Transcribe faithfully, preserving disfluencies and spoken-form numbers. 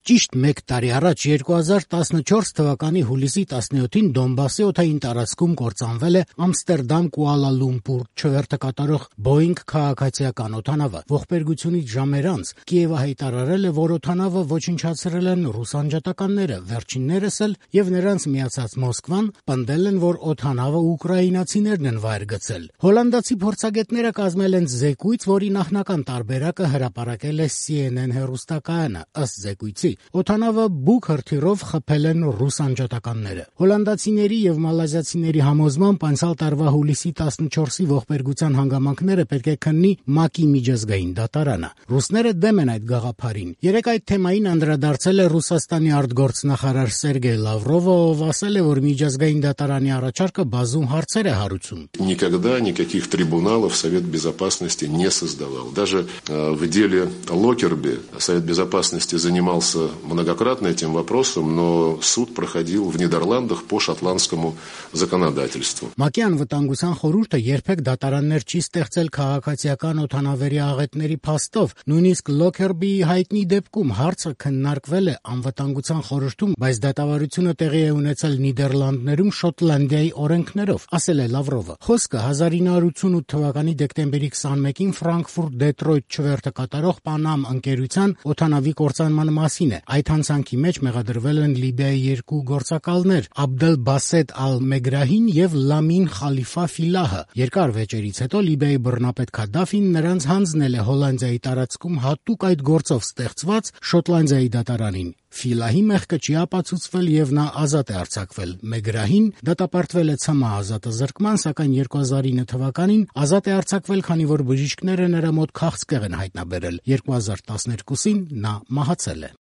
Ճիշտ մեկ տարի առաջ երկու հազար տասնչորս թվականի հուլիսի տասնյոթին Դոնբասի օդային տարածքում կործանվել է Ամստերդամ-Կուալա Լումպուր չվերթը կատարող Boeing քաղաքացիական օդանավը։ Ողբերգությունից ժամեր անց Կիևը հայտարարել է, որ օդանավը ոչնչացրել են ռուս անջատականները, վերջիններս էլ եւ նրանց միացած Մոսկվան պնդել են, որ օդանավը ուկրաինացիներն են վայր գցել։ Հոլանդացի փորձագետները կազմել են զեկույց, որի նախնական տարբերակը հրապարակել է C N N հեռուստակայանը։ Ըստ զեկույցի, օդանավը բուք հրթիռով խփել են ռուս անջատականները։ Հոլանդացիների եւ մալազիացիների համոզմամբ անցյալ տարվա հուլիսի տասնչորսի ողբերգության հանգամանքները պետք է քննի ՄԱԿ-ի միջազգային դատարանը։ Ռուսները դեմ են այդ գաղափարին։ Երեկ այդ թեմային անդրադարձել է Ռուսաստանի արտգործնախարար Սերգեյ Լավրովը, ով ասել է, որ միջազգային դատարանի առաջարկը բազում հարցեր է հարուցում։ Никогда никаких трибуналов Совет Безопасности не создавал. Даже в деле Локерби Совет Безопасности занимался многократно этим вопросом, но суд проходил в Нидерландах по шотландскому законодательству. ՄԱԿ-ի անվտանգության խորհուրդը երբեք դատարաններ չի ստեղծել քաղաքացիական օդանավերի աղետների փաստով։ Նույնիսկ Լոքերբիի հայտնի դեպքում հարցը քննարկվել է անվտանգության խորհրդում, բայց դատավարությունը տեղի է ունեցել Նիդերլանդներում Շոտլանդիայի օրենքներով, ասել է Լավրովը։ Խոսքը հազար ինը հարյուր ութսունութ թվականի դեկտեմբերի քսանմեկին Ֆրանկֆուրտ-Դեթրոյթ չվերթը կատարող Պանամ ընկերության օդանավի կործանման մասին է։ Այդ հանցանքի մեջ մեղադրվել են Լիբիայի երկու գործակալներ՝ Աբդել Բասետ Ալ-Մեգրահին եւ Լամին Խալիֆա Ֆիլահը։ Երկար վեճերից հետո Լիբիայի բռնապետ Քադաֆին նրանց հանձնել է Հոլանդիայի տարածքում հատուկ այդ գործով ստեղծված Շոտլանդիայի դատարանին։ Ֆիլահի մեղքը չի ապացուցվել եւ նա ազատ է արձակվել։ Մեգրահին դատապարտվել է Ցմահ ազատազրկման, սակայն երկու հազար ինը թվականին ազատ է արձակվել, քանի որ բժիշկները նրա մոտ քաղցկեղ են հայտնաբերել։ երկու հազար տասներկուսին նա մահացել է։